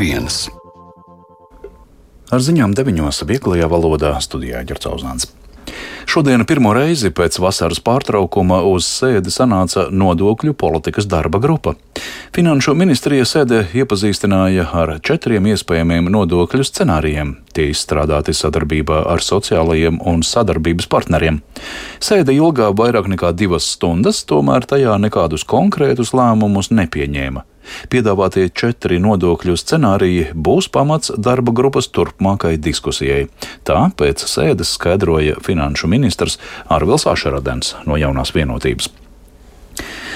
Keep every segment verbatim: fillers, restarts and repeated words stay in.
viens. Ar ziņām deviņos vieglajā valodā studijā Ģerts Auzāns. Šodien pirmo reizi pēc vasaras pārtraukuma uz sēdi sanāca nodokļu politikas darba grupa. Finanšu ministrija sēdē iepazīstināja ar četriem iespējamiem nodokļu scenārijiem. Tie izstrādāti sadarbībā ar sociālajiem un sadarbības partneriem. Sēde ilgā vairāk nekā divas stundas, tomēr tajā nekādus konkrētus lēmumus nepieņēma. Piedāvātie četri nodokļu scenāriji būs pamats darba grupas turpmākai diskusijai. Tā pēc sēdes skaidroja finanšu ministrs Arvils Ašeradens no Jaunās Vienotības.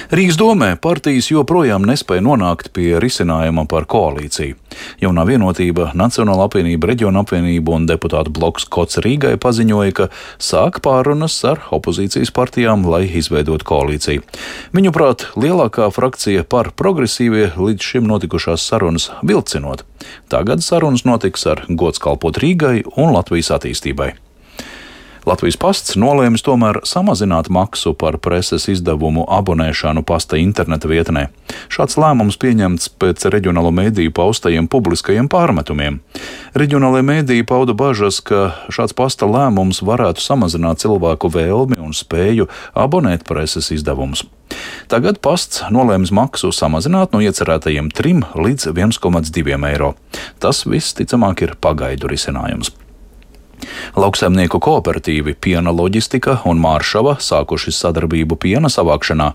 Rīgas domē partijas joprojām nespēja nonākt pie risinājuma par koalīciju. Jaunā Vienotība, Nacionāla apvienība, Reģiona apvienība un deputātu bloks Kots Rīgai paziņoja, ka sāk pārunas ar opozīcijas partijām, lai izveidotu koalīciju. Viņuprāt, lielākā frakcija par progresīvie līdz šim notikušās sarunas vilcinot. Tagad sarunas notiks ar gods kalpot Rīgai un Latvijas attīstībai. Latvijas pasts nolēmis tomēr samazināt maksu par preses izdevumu abonēšanu pasta interneta vietnē. Šāds lēmums pieņemts pēc reģionālo mēdīju paustajiem publiskajiem pārmetumiem. Reģionālajie mēdīji pauda bažas, ka šāds pasta lēmums varētu samazināt cilvēku vēlmi un spēju abonēt preses izdevumus. Tagad pasts nolēmis maksu samazināt no iecerētajiem trim līdz viens komats divi eiro. Tas viss ticamāk ir pagaidu risinājums. Lauksaimnieku kooperatīvi Piena Loģistika un Māršava sākuši sadarbību piena savākšanā.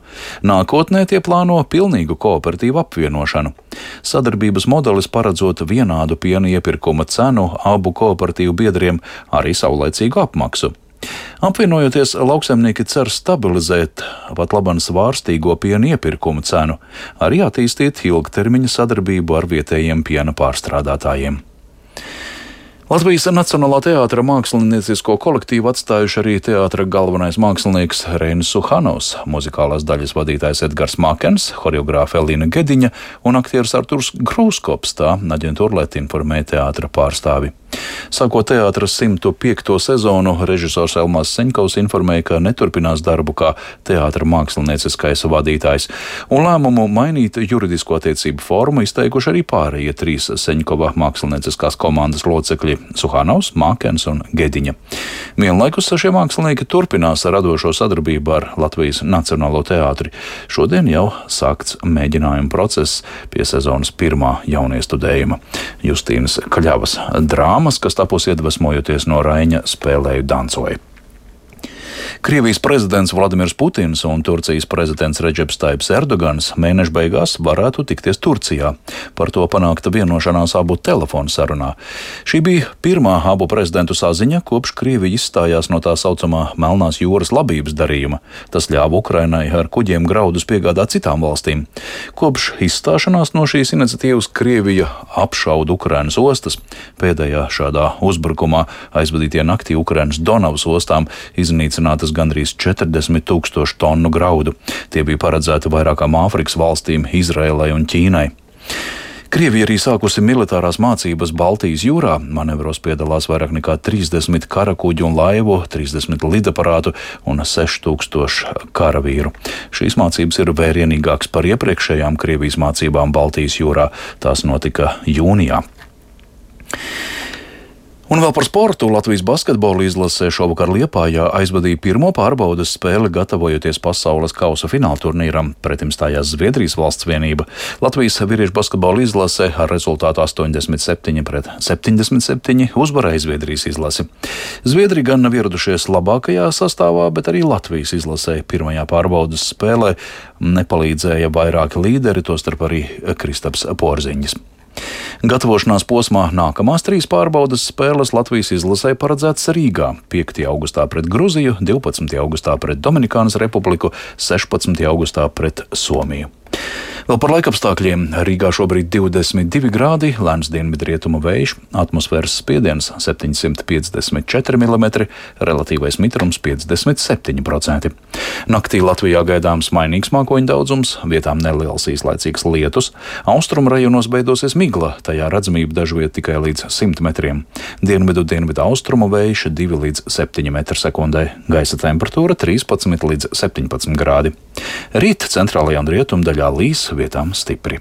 Nākotnē tie plāno pilnīgu kooperatīvu apvienošanu. Sadarbības modelis paredzot vienādu piena iepirkuma cenu abu kooperatīvu biedriem, arī saulaicīgu apmaksu. Apvienojoties, lauksaimnieki cer stabilizēt pat laban svārstīgo piena iepirkuma cenu, arī attīstīt ilgtermiņa sadarbību ar vietējiem piena pārstrādātājiem. Latvijas Nacionālā teātra māksliniecisko kolektīvu atstājuši arī teātra galvenais mākslinieks Reinis Suhanovs, muzikālās daļas vadītājs Edgars Makens, horeogrāfe Elīna Gediņa un aktieris Arturs Grūskops, tā aģentūra Let informē teātra pārstāvi. Sākot teātra simto piekto sezonu, režisors Elmārs Seņkovs informēja, ka neturpinās darbu kā teātra mākslinieciskais vadītājs, un lēmumu mainīt juridisko attiecību formu izteikuši arī pārējie trīs Seņkova mākslinieciskās komandas locekļi Suhanovs, Makens un Gediņa. Vienlaikus šie mākslinieki turpinās radošo sadarbību ar Latvijas Nacionālo teātri. Šodien jau sākts mēģinājuma process pie sezonas pirmā jauniestudējuma Justīnas Kļavas drāmas, kas tapus iedvesmojoties no Raiņa Spēlēju dancoju. Krievijas prezidents Vladimirs Putins un Turcijas prezidents Redžeps Taips Erdogans mēneša beigās varētu tikties Turcijā. Par to panākta vienošanās abu telefonu sarunā. Šī bija pirmā abu prezidentu saziņa, kopš Krievija izstājās no tā saucamā Melnās jūras labības darījuma. Tas ļāva Ukrainai ar kuģiem graudus piegādāt citām valstīm. Kopš izstāšanās no šīs iniciatīvas Krievija apšauda Ukrainas ostas. Pēdējā šādā uzbrukumā aizvadītie naktī Ukrainas Donavas ostām iznīcinātas gandrīz četrdesmit tūkstoši tonu graudu. Tie bija paredzēti vairākām Āfrikas valstīm, Izraēlai un Ķīnai. Krievija arī sākusi militārās mācības Baltijas jūrā. Manevros piedalās vairāk nekā trīsdesmit karakuģu un laivu, trīsdesmit lidaparātu un seši tūkstoši karavīru. Šīs mācības ir vērienīgākas par iepriekšējām Krievijas mācībām Baltijas jūrā. Tās notika jūnijā. Un vēl par sportu. Latvijas basketbola izlase šovakar Liepājā aizvadīja pirmo pārbaudes spēli, gatavojoties pasaules kausa fināla turnīram. Pretim stājās Zviedrijas valsts vienība. Latvijas vīriešu basketbola izlase ar rezultātu astoņdesmit septiņi pret septiņdesmit septiņi uzvarēja Zviedrijas izlasi. Zviedri gan nav ieradušies labākajā sastāvā, bet arī Latvijas izlasē pirmajā pārbaudes spēlē nepalīdzēja vairāki līderi, tostarp arī Kristaps Porziņģis. Gatavošanās posmā nākamās trīs pārbaudes spēles Latvijas izlasē paredzētas Rīgā – piektajā augustā pret Gruziju, divpadsmitajā augustā pret Dominikānas Republiku, sešpadsmitajā augustā pret Somiju. Vēl par laikapstākļiem. Rīgā šobrīd divdesmit divi grādi, lēns dienvidrietumu vējš, atmosfēras spiediens septiņsimt piecdesmit četri milimetri, relatīvais mitrums piecdesmit septiņi procenti. Naktī Latvijā gaidāms mainīgs mākoņu daudzums, vietām neliels īslaicīgs lietus, austrumu rajonos beidosies migla, tajā redzamība dažviet tikai līdz simt metriem. Dienvidu dienvidu austrumu vējš divi līdz septiņi metri sekundē, gaisa temperatūra trīspadsmit līdz septiņpadsmit grādi. Rīt centrālajā un rietumdaļā līs, vietām stipri.